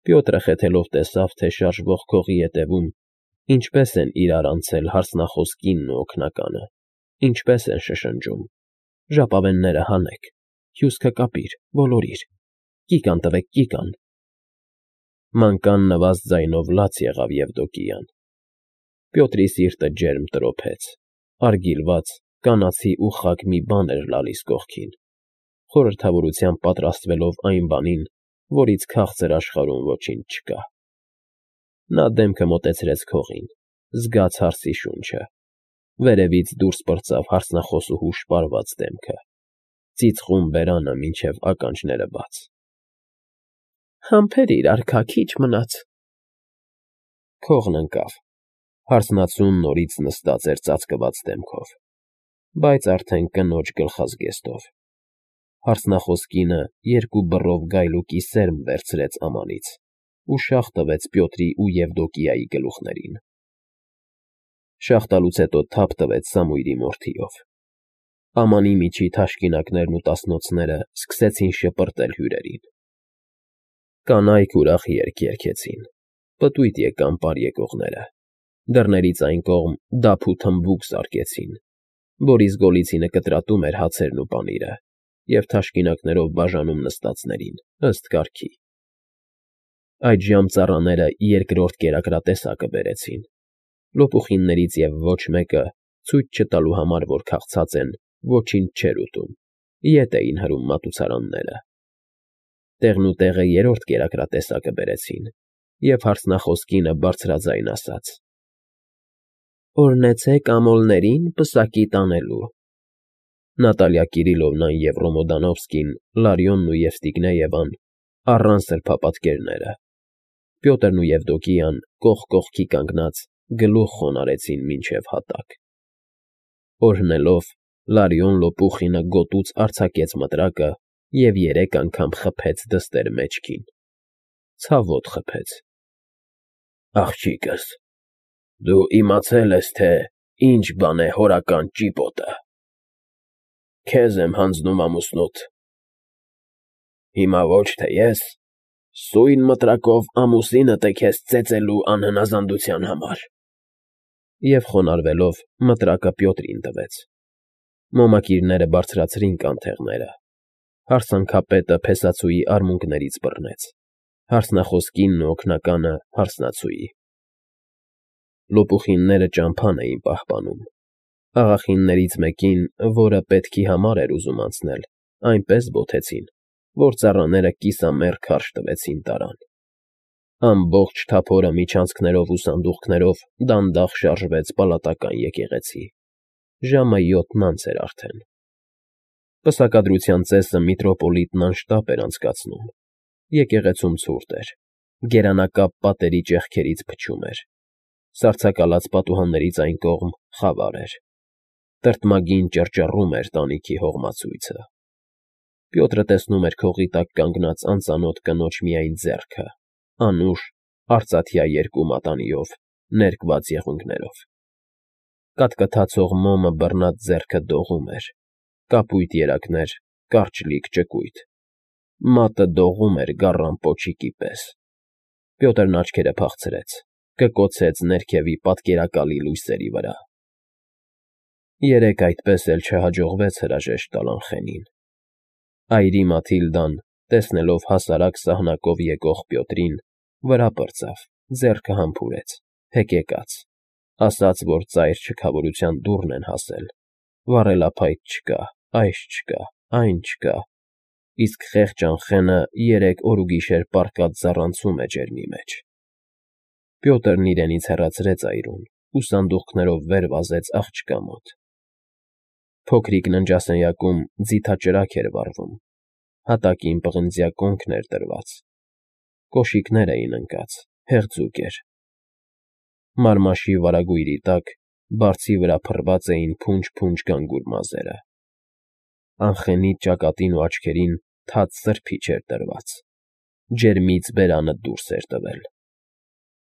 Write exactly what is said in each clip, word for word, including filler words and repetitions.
Պյոտրը խեթելով տեսավ, թե շարժվող քողի ետևում ինչպես են իրար անցել հարսնախոս կինն ու օգնականը, ինչպես են շշնջում. «Ժապավենները հանեք, հյուսքը կապիր, ոլորիր, կիկան տվեք, կիկան»։ Մանկան նվազ ձայնով լաց եղավ Եվդոկիան։ Պյոտրի սիրտը ջերմ տրոփեց, արգիլված, կանացի ու խաք մի բան էր լալիս կողքին, խորհրդավորությամբ պատրաստվելով այն բանին, որից քաղցր աշխարհում ոչինչ չկա։ Նա դեմքը մոտեցրեց քողին, զգաց հարսի շունչը, վերևից դուրս պրծավ հարսնախոսուհու շպարված դեմքը, ծիծխում բերանը մինչև ականջները բաց։ Համբերիր, արքա, քիչ մնաց։ Քողն ընկավ, հարսնացուն նորից նստած էր ծածկված դեմքով, բայց արդեն կնոջ գլխազգեստով։ Հարսնախոս կինը երկու բռով գայլուկի սերմ վերցրեց ամանից ու շաղ տվեց Պյոտրի ու Եվդոկիայի գլուխներին։ Շաղ տալուց հետո թափ տվեց Սամուիլի մորթիով։ Ամանի միջի թաշկինակներն ու տասնոցները սկսեցին շպրտել հյուրերին։ Կանայք ուրախ երգ երգեցին, պտույտ եկան պարեկողները, դռներից այն կողմ դափ ու թմբուկ զարկեցին, Բորիս Գոլիցինը կտրատում էր հացերն ու պանիրը և թաշկինակներով բաժանում նստածներին, ըստ կարգի։ Այդժամ ծառաները երկրորդ կերակրատեսակը բերեցին, լոպուխիններից և ոչ մեկը, ցույց չտալու համար, որ քաղցած են, ոչինչ չէր ուտում, ետ էին հրում մատուցարանները։ Տեղնուտեղը երրորդ կերակրատեսակը բերեցին, և հարսնախոս կինը բարձրաձայն ասաց. Օրհնեցեք ամոլներին պսակի տանելու։ Նատալիա Կիրիլովնան և Ռոմոդանովսկին, Լարյոնն ու Եվստիգնեևան առան սրբապատկերները, Պյոտրն ու Եվդոկիան կողք կողքի կանգնած գլուխ խոնարհեցին մինչև հատակ։ Օրհնելով, Լարյոն լոպուխինը գոտուց արձակեց մտրակը և երեք անգամ խփեց դստեր մեջքին, ցավոտ խփեց։ Աղջիկս, դու իմացել ես, թե ինչ բան է հորական ճիպոտը։ Քեզ եմ հանձնում ամուսնուդ։ Հիմա ոչ թե ես, սույն մտրակով ամուսինդ է քեզ ծեծելու անհնազանդության համար։ Եվ խոնարհվելով մտրակը Պյոտրին տվեց։ Մոմակիրները բարձրացրին կանթեղները, հարսանքապետը փեսացուի արմունկներից բռնեց, հարսնախոս կինն ու օգնականը հարսնացուի։ Լոպուխինները ճամփան էին պահպանում, աղախիններից մեկին, որը պետքի համար էր ուզում անցնել, այնպես բոթեցին, որ ծառաները կիսամեռ քարշ տվեցին տարան։ Ամբողջ թափորը միջանցքներով ու սանդուղքներով դանդաղ շարժվեց պալատական եկեղեցի։ Ժամը յոթն անց էր արդեն։ Պսակադրության ծեսը միտրոպոլիտն անշտապ էր անցկացնում։ Եկեղեցում ցուրտ էր, գերանակապ պատերի ճեղքերից փչում էր, սառցակալած պատուհաններից այն կողմ խավար էր, տրտմագին ճռճռում էր տանիքի հողմացույցը։ Պյոտրը տեսնում էր քողի տակ կանգնած անծանոթ կնոջ միայն ձեռքը, անուշ, արծաթյա երկու մատանիով, ներկված եղունգներով։ Կատկթացող մոմը բռնած ձեռքը դողում էր, կապույտ երակներ, կարճլիկ ճկույտ։ Մատը դողում էր գառան պոչիկի պես։ Պյոտրն աչքերը փախցրեց, կկոցեց ներքևի պատկերակալի լույսերի վրա։ Երեկ այդպես էլ չհաջողվեց հրաժեշտ տալ Անխենին։ Այրի Մաթիլդան, տեսնելով հասարակ սահնակով եկող Պյոտրին, վրա պրծավ, ձեռքը համբուրեց, հեկեկաց, ասաց, որ ծայր չքավորության դուռն են հասել, վառելափայտ չկա, այս չկա, այն չկա, իսկ խեղճ Անխենը երեք օրուգիշեր պառկած զառանցում է ջերմի մեջ։ Պյոտրն իրենից հեռացրեց այրուն ու սանդուղքներով վեր վազեց աղջկա մոտ։ Փոքրիկ ննջասենյակում ձիթաճրագ էր վառվում, հատակին պղնձյա կոնքն էր դրված, կոշիկներ էին ընկած, հեղձուկ էր։ Մարմաշի վարագույրի տակ բարձի վրա փռված էին փունջ֊փունջ գանգուր մազերը։ Անխենի ճակատին ու աչքերին թաց սրբիչ էր դրված, ջերմից բերանը դուրս էր տվել։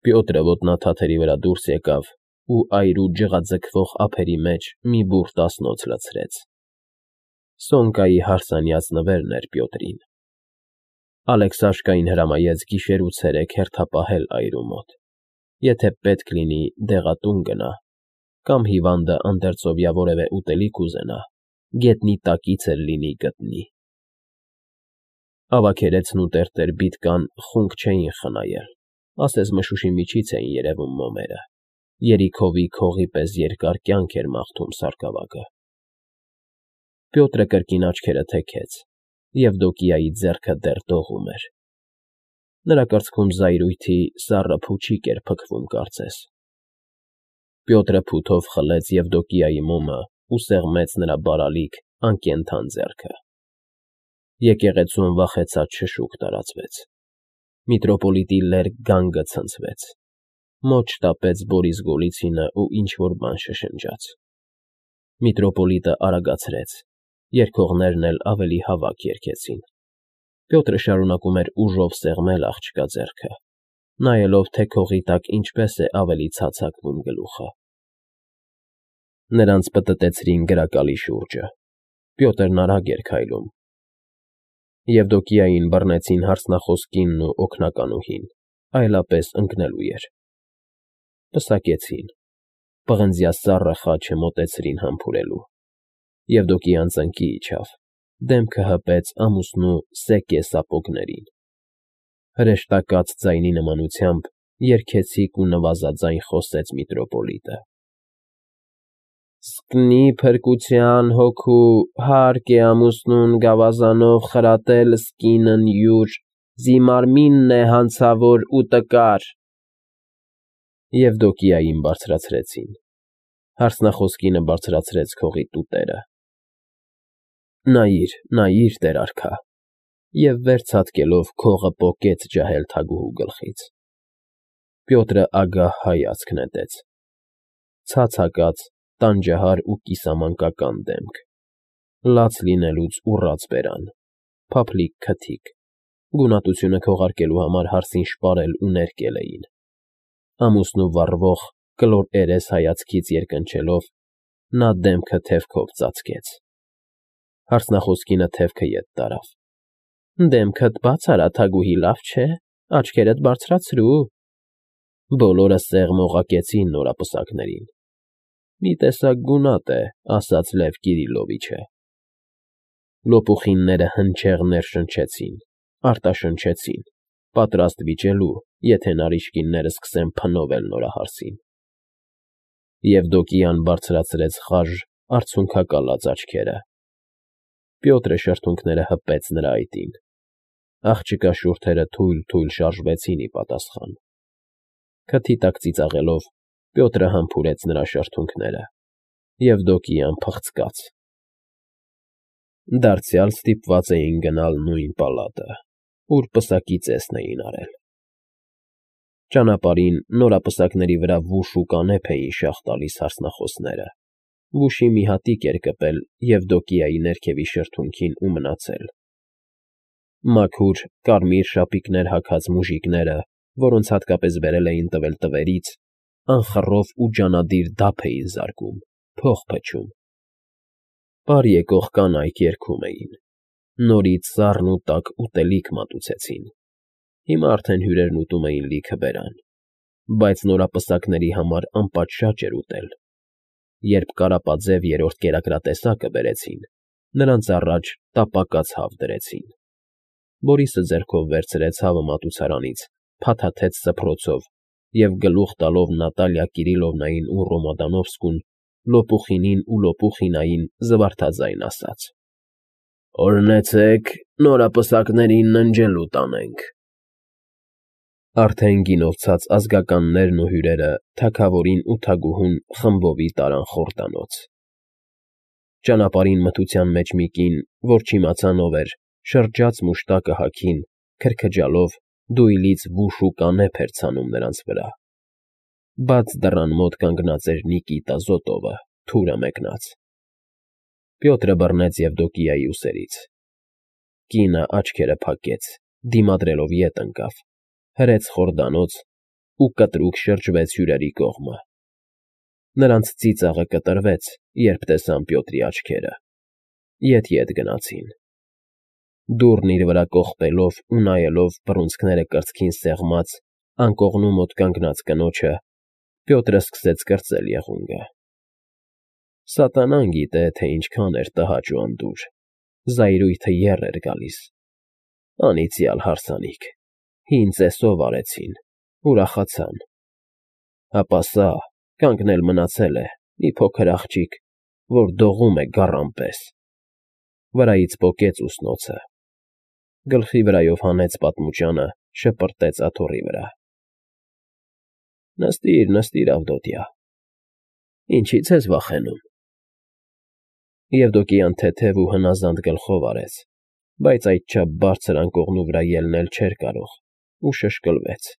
Պյոտրը ոտնաթաթերի վրա դուրս եկավ ու այրու ջղաձգվող ափերի մեջ մի բուռ տասնոց լցրեց։ Սոնկայի հարսանյաց նվերն էր Պյոտրին։ Ալեքսաշկային հրամայեց գիշեր ու ցերեկ հերթապահել այրու մոտ, եթե պետք լինի դեղատուն գնա, կամ հիվանդը անդերձովյա որևէ ուտելիք ուզենա, գետնի տակից էլ լինի գտնի։ Ավագերեցն ու տերտեր բիդկան խունկ չէին խնայել, ասես մշուշի միջից էին երևում մոմերը, երիքովի քողի պես երկար կյանք էր մաղթում սարկավագը։ Պյոտրը կրկին աչքերը թեքեց, Եվդոկիայի ձեռքը դեռ դողում էր։ Նրա կրծքում զայրույթի սառը փուչիկ էր փքվում կարծես։ Պյոտրը փութով խլեց Եվդոկիայի մոմը ու սեղմեց նրա բարալիկ, անկենդան ձեռքը։ Եկեղեցում վախեցած շշուկ տարածվեց։ Միտրոպոլիտի լերկ գանգը ցնցվեց։ Մոտ շտապեց Բորիս Գոլիցինը ու ինչ֊որ բան շշնջաց։ Միտրոպոլիտը արագացրեց, երգողներն էլ ավելի հավաք երգեցին։ Պյոտրը շարունակում էր ուժով սեղմել աղջկա ձեռքը, նայելով, թե քողի տակ ինչպես է ավելի ցացակվում գլուխը։ Նրանց պտտեցրին գրակալի շուրջը։ Պյոտրն արագ էր քայլում։ Եվդոկիային բռնեցին հարսնախոս կինն ու օգնականուհին, այլապես ընկնելու էր։ Պսակեցին։ Պղնձյա սառը խաչը մոտեցրին համբուրելու։ Եվդոկիան ծնկի իջավ, դեմքը հպեց ամուսնու սեկե սապոգներին։ Հրեշտակած ձայնի նմանությամբ երգեցիկ ու նվազաձայն խոսեց միտրոպոլիտը. Սկնի փրկության հոգու հարկ է ամուսնուն գավազանով խրատել սկինն յուր, զիմարմինն է հանցավոր ու տկար։ Եվդոկիային բարձրացրեցին։ Հարսնախոս կինը բարձրացրեց քողի տուտերը։ Նայիր, նայիր, տեր արքա, և վեր ցատկելով քողը պոկեց ջահել թագուհու գլխից։ Պյոտրը ագահ հայացք նետեց։ Ցած հակած, տանջահար ու կիսամանկական դեմք, լաց լինելուց ուռած բերան, փափլիկ քթիկ, գունատությունը քողարկելու համար հարսին շպարել ու ներկել էին։ Ամուսնու վառվող, կլոր երես հայացքից երկնչելով, նա դեմքը թևքով ծածկեց։ Հարսնախոս կինը թևքը ետ տարավ։ Դեմքդ բաց արա, թագուհի, լավ չէ, աչքերդ բարձրացրու։ Բոլորը սեղմ օղակեցին նորապսակներին։ Մի տեսակ գունատ է, ասաց Լև Կիրիլովիչը։ Լոպուխինները հնչեղ ներշնչեցին, արտաշնչեցին, պատրաստ վիճելու, եթե նարիջկինները սկսեն փնովել նորահարսին։ Եվդոկիան բարձրացրեց խաժ, արցունքակալած աչքերը։ Պյոտրը շրթունքները հպեց նրա այտին։ Աղջկա շուրթերը թույլ֊թույլ շարժվեցին ի պատասխան։ Քթի տակ ծիծաղելով, Պյոտրը համբուրեց նրա շրթունքները։ Եվդոկիան փղցկաց։ Դարձյալ ստիպված էին գնալ նույն պալատը, ուր պսակի ծեսն էին արել։ Ճանապարհին նորապսակների վրա վուշ ու կանեփ էին շաղ տալիս հարսնախոսները։ Վուշի մի հատիկ էր կպել Եվդոկիայի ներքևի շրթունքին ու մնացել։ Մաքուր, կարմիր շապիկներ հագած մուժիկները, որոնց հատկապես բերել էին տվել տվերից, անխռով ու ջանադիր դափ էին զարկում, փող փչում։ Պար եկող կանայք երգում էին։ Նորից սառն ու տաք ուտելիք մատուցեցին։ Հիմա արդեն հյուրերն ուտում էին լիքը բերան, բայց նորապսակների համար անպատշաճ էր ուտել։ Երբ կարապաձև երրորդ կերակրատեսակը բերեցին, նրանց առաջ տապակած հավ դրեցին։ Բորիսը ձեռքով վերցրեց հավը մատուցարանից, փաթաթեց սփռոցով և գլուխ տալով Նատալիա Կիրիլովնային ու Ռոմադանովսկուն, Լոպուխինին ու Լոպուխինային զվարթաձայն ասաց. Օրհնեցեք, նորապսակներին ննջելու տանենք։ Արդեն գինով ցած ազգականներն ու հյուրերը թագավորին ու թագուհուն խմբովի տարան խորտանոց։ Ճանապարհին մթության մեջ մի կին, որ չիմացան ով էր, շրջաց մուշտակը հագին, քրքջալով, դույլից վուշ ու կանեփ էր ցանում նրանց վրա։ Բաց դռան մոտ կանգնած էր Նիկիտա Զոտովը, թուրը մեկնած։ Պյոտրը բռնեց Եվդոկիայի ուսերից։ Կինը աչքերը փակեց, դիմադրելով ետ ընկավ, հրեց խորդանոց ու կտրուկ շրջվեց հյուրերի կողմը։ Նրանց ծիծաղը կտրվեց, երբ տեսան Պյոտրի աչքերը։ Ետ֊ետ գնացին։ Դուռն իր վրա կողպելով ու նայելով բռունցքները կրծքին սեղմած, անկողնու մոտ կանգնած կնոջը, Պյոտրը սկսեց կրծել եղունգը. սատանան գիտե, թե ինչքան էր տհաճ ու անդուր, զայրույթը եռ էր գալիս, անիծյալ հարսանիք, հին ծեսով արեցին, ուրախացան, ապա սա կանգնել մնացել է մի փոքր աղջիկ, որ դողում է գառան պես, վրայից պոկեց ուսնոցը, գլխի վրայով հանեց պատմուճանը, շպրտեց աթոռի վրա. Նստիր, նստիր, Ավդոտյա, ինչի՞ց ես վախենում… Եվդոկիան թեթև ու հնազանդ գլխով արեց, բայց այդչափ բարձր անկողնու վրա ելնել չէր կարող ու շշկլվեց,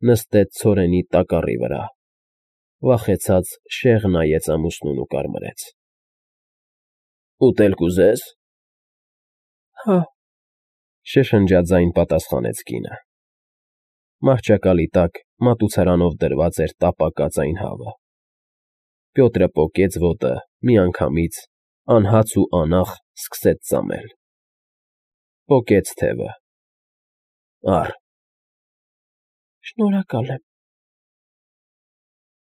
նստեց ցորենի տակառի վրա, վախեցած շեղ նայեց ամուսնուն ու կարմրեց. Ուտել կուզե՞ս։ Հա՛, շշնջաձայն պատասխանեց կինը. մահճակալի տակ մատուցարանով դրված էր տապակած այն հավը, Պյոտրը պոկեց ոտը միանգամից, անհաց ու անաղ սկսեց ծամել, պոկեց թևը. Առ… Շնորհակալ եմ,